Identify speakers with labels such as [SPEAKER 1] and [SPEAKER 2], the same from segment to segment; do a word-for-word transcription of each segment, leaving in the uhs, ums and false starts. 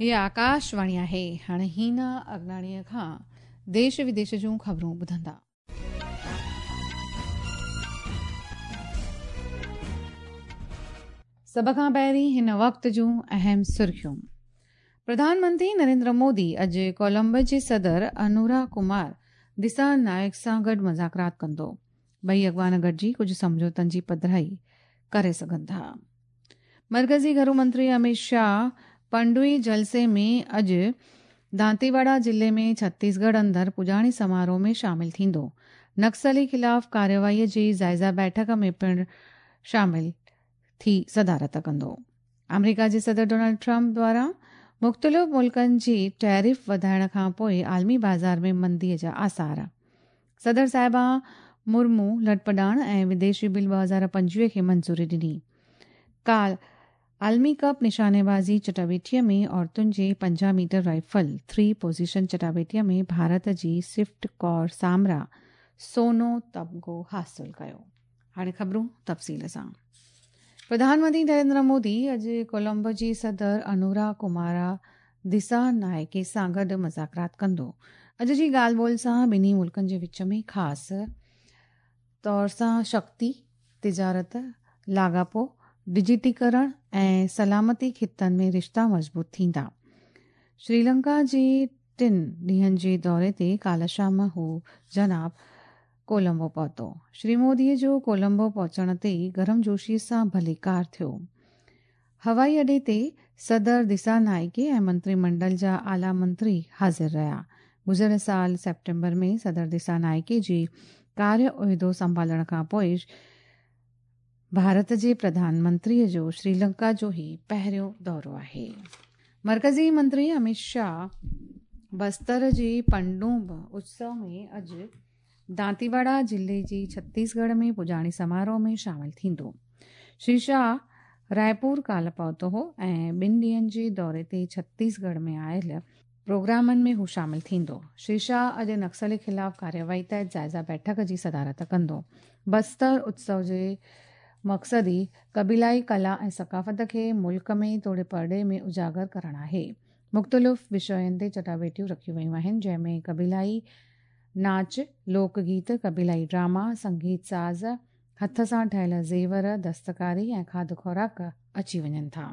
[SPEAKER 1] हीअ आकाशवाणी आहे। हाणे हीना अगनाणीअ खां देश विदेश जूं ख़बरूं ॿुधंदा। सभ खां पहिरीं हिन वक़्त जूं अहम सुर्खियूं। प्रधानमंत्री नरेंद्र मोदी अॼु कोलंबो जे सदर अनुरा कुमार दिसा नायक सां गॾु मुज़ाकरात कंदो। ॿई अॻवान गॾिजी कुझु सम्झौतनि जी पधराई करे सघनि था। मरकज़ी घरू मंत्री अमित शाह पंडुई जलसे में अॼु दांतीवाड़ा ज़िले में छत्तीसगढ़ अंदरि पुॼाणी समारोह में शामिल थींदो। नक्सली ख़िलाफ़ कार्यवाहीअ जी जाइज़ा बैठक में पिणु शामिल थी सदारत कंदो। आमेरिका जे सदर डोनाल्ड ट्रंप द्वारा मुख़्तलिफ़ मुल्कनि जी टैरिफ वधाइण खां पोइ आलमी बाज़ार में मंदीअ जा आसार। सदर साहिबा मुर्मू लटपॾाण ऐं विदेशी बिल ॿ हज़ार पंजवीह खे मंज़ूरी ॾिनी। काल आलमी कप निशानेबाज़ी चटाबेटीअ में औरतुनि जे पंजाह मीटर राइफल थ्री पोज़ीशन चटाबेटीअ में भारत जी स्विफ्ट कौर सामरा सोनो तमगो हासिल कयो। हाणे ख़बरूं तफ़सील सां। प्रधानमंत्री नरेंद्र मोदी अॼु कोलंबो जी सदर अनुरा कुमारा दिसा नायके सां गॾु मुज़ाकरात कंदो। अॼु जी ॻाल्हि ॿोल सां ॿिन्ही मुल्कनि जे विच में ख़ासि तौर सां शक्ति, तिजारत, लाॻापो, डिजिटीकरण ऐं सलामती ख़ितनि में रिश्ता मज़बूत थींदा। श्रीलंका जे टिनि ॾींहंनि जे दौरे ते काल्ह शाम हू जनाब कोलंबो पहुतो। श्री मोदीअ जो कोलंबो पहुचण ते गर्मजोशी सां भलीकार थियो। हवाई अॾे ते सदर दिसा नायके ऐं मंत्रीमंडल जा आला मंत्री हाज़िर रहिया। गुज़िरियल साल सेप्टेम्बर में सदर दिसा नायके जी कार्य उहिदो संभालण खां पोइ भारत जे प्रधानमंत्रीअ जो श्रीलंका जो ही पहिरियों दौरो आहे। मरकज़ी मंत्री अमित शाह बस्तर जे पंडूब उत्सव में अॼु दांतीवाड़ा ज़िले जी छत्तीसगढ़ में पुॼाणी समारोह में शामिल थींदो। श्री शाह रायपुर काल्ह पहुतो हो ऐं ॿिनि ॾींहंनि जे दौरे ते छत्तीसगढ़ में आयल प्रोग्रामनि में हू शामिल थींदो। श्री शाह अॼु नक्सली ख़िलाफ़ कार्यवाही तहत जाइज़ा बैठक जी सदारत कंदो। बस्तर उत्सव जे मक़सदु ई क़बीलाई कला ऐं सकाफ़त खे मुल्क में तोड़े परॾे में उजागर करणु आहे। मुख़्तलिफ़ विषयनि ते चटाबेटियूं रखियूं वयूं आहिनि, जंहिंमें क़बीलाई नाच, लोक गीत, क़बीलाई ड्रामा, संगीत साज़, हथ सां ठहियल ज़ेवर, दस्तकारी ऐं खाधु ख़ुराक अची वञनि था।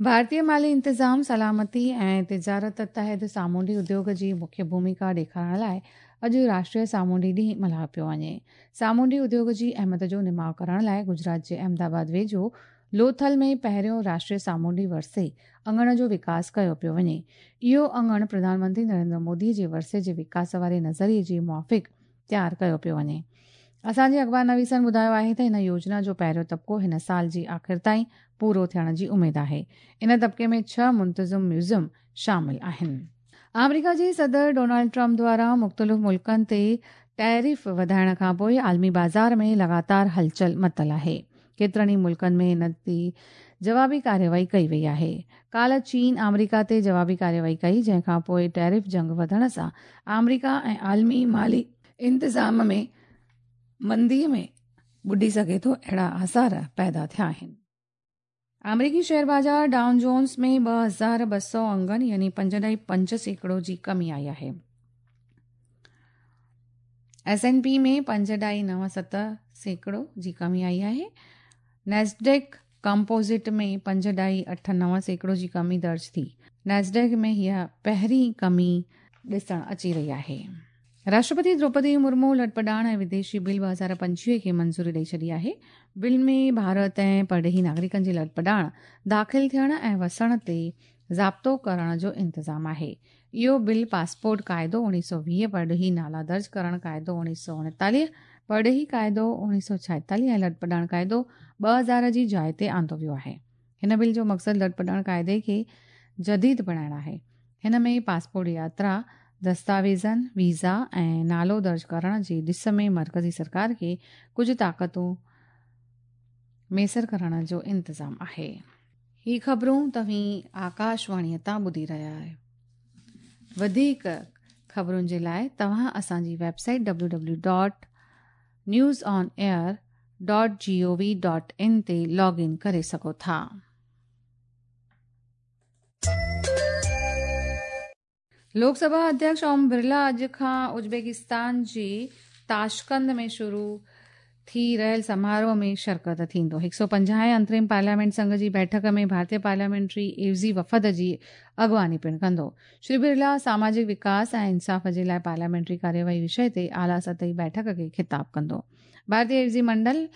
[SPEAKER 1] भारतीय माली इंतज़ाम, सलामती ऐं तिजारत तहत सामुंडी उद्योग जी मुख्य भूमिका ॾेखारण लाइ अॼु राष्ट्रीय सामुंडी ॾींहुं मल्हायो पियो वञे। सामुंडी उद्योग जी अहमियत जो निमाउ करण लाइ गुजरात जे अहमदाबाद वेझो लोथल में पहिरियों राष्ट्रीय सामुंडी वर्से अंगण जो विकास कयो पियो वञे। इहो अंगण प्रधानमंत्री नरेंद्र मोदी जे वर्से जे विकास वारे नज़रिए जे मुआफ़िक़ तयारु कयो पियो वञे। असांजे अख़बार नवीसनि ॿुधायो आहे त हिन योजना जो पहिरियों तबिको हिन साल जी आख़िर ताईं पूरो थियण जी उमेद आहे। इन तबिके में छह मुंतज़िम म्यूज़ियम शामिल आहिनि। आमेरिका जे सदर डोनाल्ड ट्रंप द्वारा मुख़्तलिफ़ मुल्कनि ते टैरिफ वधाइण खां पोइ आलमी बाज़ार में लगातार हलचल मतल आहे। केतिरनि ई मुल्कनि में हिन ते जवाबी कार्यवाही कई वई आहे। काल्ह चीन आमेरिका ते जवाबी कार्यवाही कई, जंहिं खां पोइ टैरिफ जंग वधण सां आमेरिका ऐं आलमी माली इंतज़ाम में मंदीअ में ॿुॾी सघे थो, अहिड़ा आसार पैदा थिया आहिनि। आमेरिकी शेयर बाज़ार डाउ जोन्स में ॿ हज़ार ॿ सौ अंगनि यानी पंज ॾाई पंज सैकड़ो जी कमी आई आहे। एस एन पी में पंज ॾाई नव सत सैकड़ो जी कमी आई आहे। नेस्डेक कंपोजिट में पंज ॾाई अठ नव सैकड़ो जी कमी दर्ज थी। नेस्डेक में हीअ पहिरीं कमी ॾिसण अची रही आहे। राष्ट्रपति द्रौपदी मुर्मू लटपॾाण ऐं विदेशी बिल ॿ हज़ार पंजवीह खे मंज़ूरी ॾेई छॾी आहे। बिल में भारत ऐं परॾेही नागरिकनि जी लटपॾाण, दाख़िल थियण ऐं वसण ते ज़ाब्तो करण जो इंतज़ाम आहे। इहो बिल पासपोर्ट काइदो उणिवीह सौ वीह, परॾेही नाला दर्ज करण काइदो उणिवीह सौ उणेतालीह, परॾेही काइदो उणिवीह सौ छाएतालीह ऐं लटपॾाण काइदो ॿ हज़ार जी जाइ ते आंदो वियो आहे। हिन बिल जो मक़सदु लटपॾाण काइदे खे जदीद बणाइणु आहे। हिन में पासपोर्ट यात्रा दस्तावेज़नि, वीज़ा ऐं नालो दर्ज करण जे ॾिस में मरकज़ी सरकार खे कुझु ताक़तूं मयसर करण जो इंतज़ाम आहे। ही ख़बरूं तव्हीं आकाशवाणीअ तां ॿुधी रहिया आहियो। वधीक ख़बरुनि जे लाइ तव्हां असांजी website W W dot news on air dot G O V dot in ते लॉग इन करे सघो था। लोकसभा अध्यक्ष ओम बिरला अॼु खां उज़्बेकिस्तान जी ताशकंद में शुरू थी रहियल समारोह में शिरकत थींदो। हिकु सौ पंजाह अंतरिम पार्लियामेंट संघ जी बैठक में भारतीय पार्लियामेंट्री एवज़ी वफ़द जी अॻुवानी पिणु कंदो। श्री बिरला सामाजिक विकास ऐं इंसाफ़ जे लाइ पार्लियामेंट्री कार्यवाही विषय ते आला सतही बैठक खे ख़िताब कंदो। भारतीय एवज़ी मंडल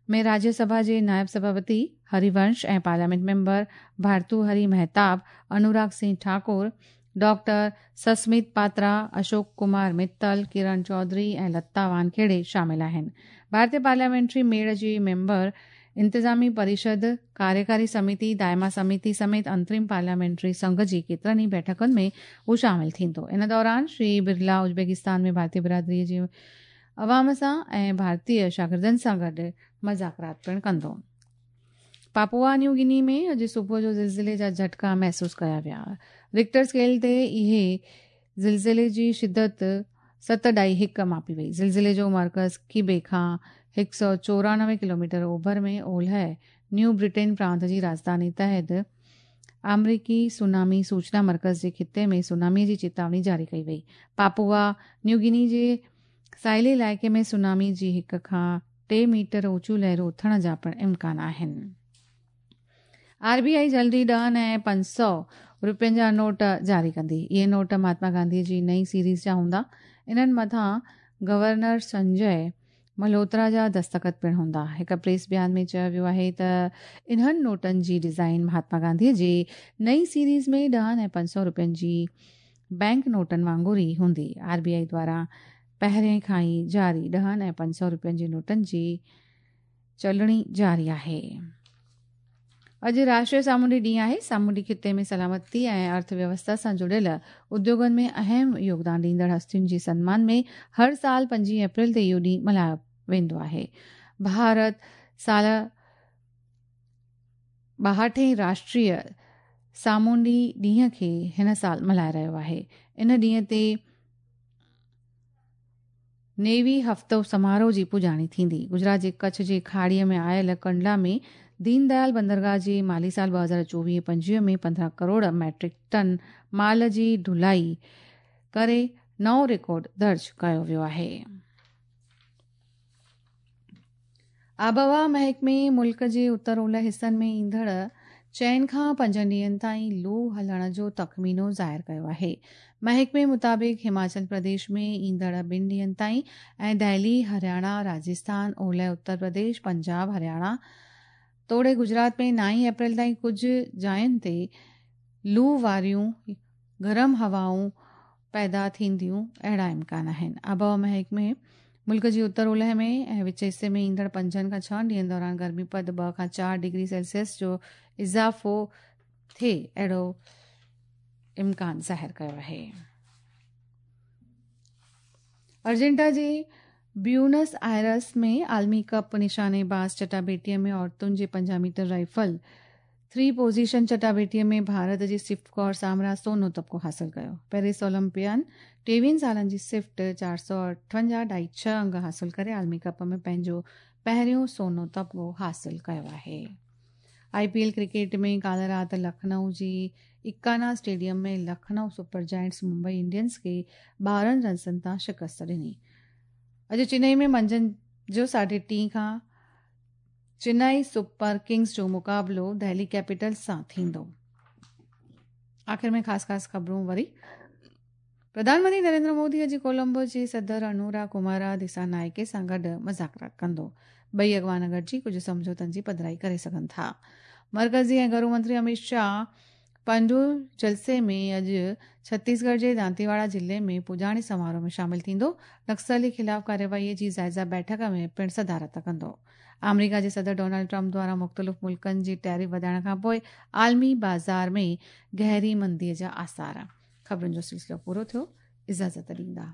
[SPEAKER 1] में राज्यसभा जे नायब सभापति हरिवंश ऐं parliament member Bhartruhari Mahtab, Anurag Singh Thakur, doctor Sasmit Patra, Ashok Kumar Mittal, Kiran Chaudhary ऐं लता वानखेड़े शामिल आहिनि। भारतीय पार्लियामेंट्री मेड़ जी मेंबर इंतिज़ामी परिषद, कार्यकारी समिति, दायमा समिति समेत अंतरिम पार्लियामेंट्री संघ जी केतिरनि ई बैठकुनि में हू शामिल थींदो। इन दौरान श्री बिरला उज़्बेकिस्तान में भारतीय बिरादरीअ जे अवाम सां ऐं भारतीय शागिर्दनि सां गॾु मज़ाकरात पिणु कंदो। पापुआ न्यू गिनी में अॼु सुबुह जो ज़िलज़िले जा झटका महसूसु कया विया। रिक्टर स्केल ते इहे ज़िलज़िले जी शिदत सत ॾाई हिकु मापी वई। ज़िलज़िले जो मर्कज़ कीबे खां हिकु सौ चोरानवे किलोमीटर ओभर में ओलह न्यू ब्रिटेन प्रांत जी राजधानी तहत अमरीकी सुनामी सूचना मर्कज़ जे ख़िते में सुनामी जी चेतावनी जारी कई वई। पापुआ न्यू गिनी जे साहिली इलाइक़े में सुनामी जी हिकु खां टे मीटर ऊंचियूं लहरूं उथण जा पिणु इम्कान आहिनि। आरबीआई जल्दी ॾहनि ऐं पंज सौ रुपयनि जा नोट जारी कंदी। इहे नोट महात्मा गांधी जी नई सीरीज़ जा हूंदा। इन्हनि मथां गवर्नर संजय मल्होत्रा जा दस्तख़त पिणु हूंदा। हिकु प्रेस बयान में चयो वियो आहे त इन्हनि नोटनि जी डिज़ाइन महात्मा गांधी जी नई सीरीज़ में ॾहनि ऐं पंज सौ रुपयनि जी बैंक नोटनि वांगुरु ई हूंदी। आरबीआई द्वारा पहिरें खां ई जारी ॾहनि ऐं पंज सौ रुपयनि जे नोटनि जी चलणी जारी आहे। अॼु राष्ट्रीय सामुंडी ॾींहुं आहे। सामुंडी ख़िते में सलामती ऐं अर्थव्यवस्था सां जुड़ियल उद्योगनि में अहम योगदान ॾींदड़ हस्तियुनि जे सम्मान में हर साल पंजवीह अप्रैल ते इहो ॾींहुं मल्हायो वेंदो आहे। भारत साल ॿाहठें राष्ट्रीय सामुंडी ॾींहं खे हिन साल मल्हाए रहियो आहे। इन ॾींहं ते नेवी हफ़्तो समारोह जी पुॼाणी थींदी। गुजरात जे कच्छ जे खाड़ीअ में आयल कंडला में दीनदयाल बंदरगाह जे माली साल ॿ हज़ार चोवीह पंजवीह में पंद्रहं करोड़ मैट्रिक टन माल जी ढुलाई करे नओं रिकॉर्ड दर्ज कयो वियो आहे। आबहवा महकमे मुल्क जे उत्तर ओलह हिसनि में ईंदड़ चइनि खां पंजनि ॾींहनि ताईं लू हलण जो तख़मीनो ज़ाहिर कयो आहे। महकमे मुताबिक़ हिमाचल प्रदेश में ईंदड़ ॿिनि ॾींहनि ताईं ऐं दिल्ली, हरियाणा, राजस्थान, ओलह उत्तर प्रदेश, पंजाब, हरियाणा तोड़े गुजरात में नाई अप्रैल ताईं कुझु जायुनि ते लू वारियूं गरम हवाऊं पैदा थींदियूं, अहिड़ा इम्कान आहिनि। आबहवा महकमे मुल्क जी उत्तर ओलह में ऐं विच हिसे में ईंदड़ पंजनि खां छहनि ॾींहनि दौरान गर्मी पद ॿ खां चारि डिग्री सेल्सियस जो इज़ाफ़ो थिए अहिड़ो इम्कान ज़ाहिर कयो आहे। अर्जेंटा जे ब्यूनस आयर्स में आलमी कप निशानेबाज़ चटाबेटीअ में औरतुनि जे पंजाह मीटर राइफल थ्री पोज़ीशन चटाबेटीअ में भारत जी स्विफ्ट कौर सामरा सोनो तबको हासिल कयो। पेरिस ओलंपियन टेवीहनि सालनि जी स्विफ्ट चारि सौ अठवंजाह ढाई छह अंग हासिल करे आलमी कप में पंहिंजो पहिरियों सोनो तबको हासिल कयो आहे। आईपीएल क्रिकेट में काल राति लखनऊ जी इकाना स्टेडियम में Lucknow super giants Mumbai Indians खे ॿारहं रन्सनि तां शिकस्त ॾिनी। अॼु चेन्नई में मंझंदि जो साढे टी खां चेन्नई सुपर किंग्स जो मुक़ाबिलो दिल्ली कैपिटल्स सां थींदो। आख़िर में ख़ासि ख़ासि ख़बरूं वरी। प्रधानमंत्री नरेंद्र मोदी अॼु कोलंबो जे सदर अनुरा कुमारा दिसानायके सां गॾु मज़ाकरात कंदो। ॿई अॻवान गॾिजी कुझु सम्झौतनि जी पधराई करे सघनि था। मर्कज़ी ऐं घरू मंत्री अमित शाह पंडू जलसे में अॼु छत्तीसगढ़ जे दांतीवाड़ा ज़िले में पुॼाणी समारोह में शामिल थींदो। नक्सली ख़िलाफ़ कार्यवाहीअ जी जाइज़ा बैठक में पिणु सदारत कंदो। आमेरिका जे सदर डोनाल्ड ट्रंप द्वारा मुख़्तलिफ़ मुल्कनि जी टैरिफ वधाइण खां पोइ आलमी बाज़ार में गहरी मंदीअ जा आसार। ख़बरुनि जो सिलसिलो पूरो थियो। इजाज़त ॾींदा।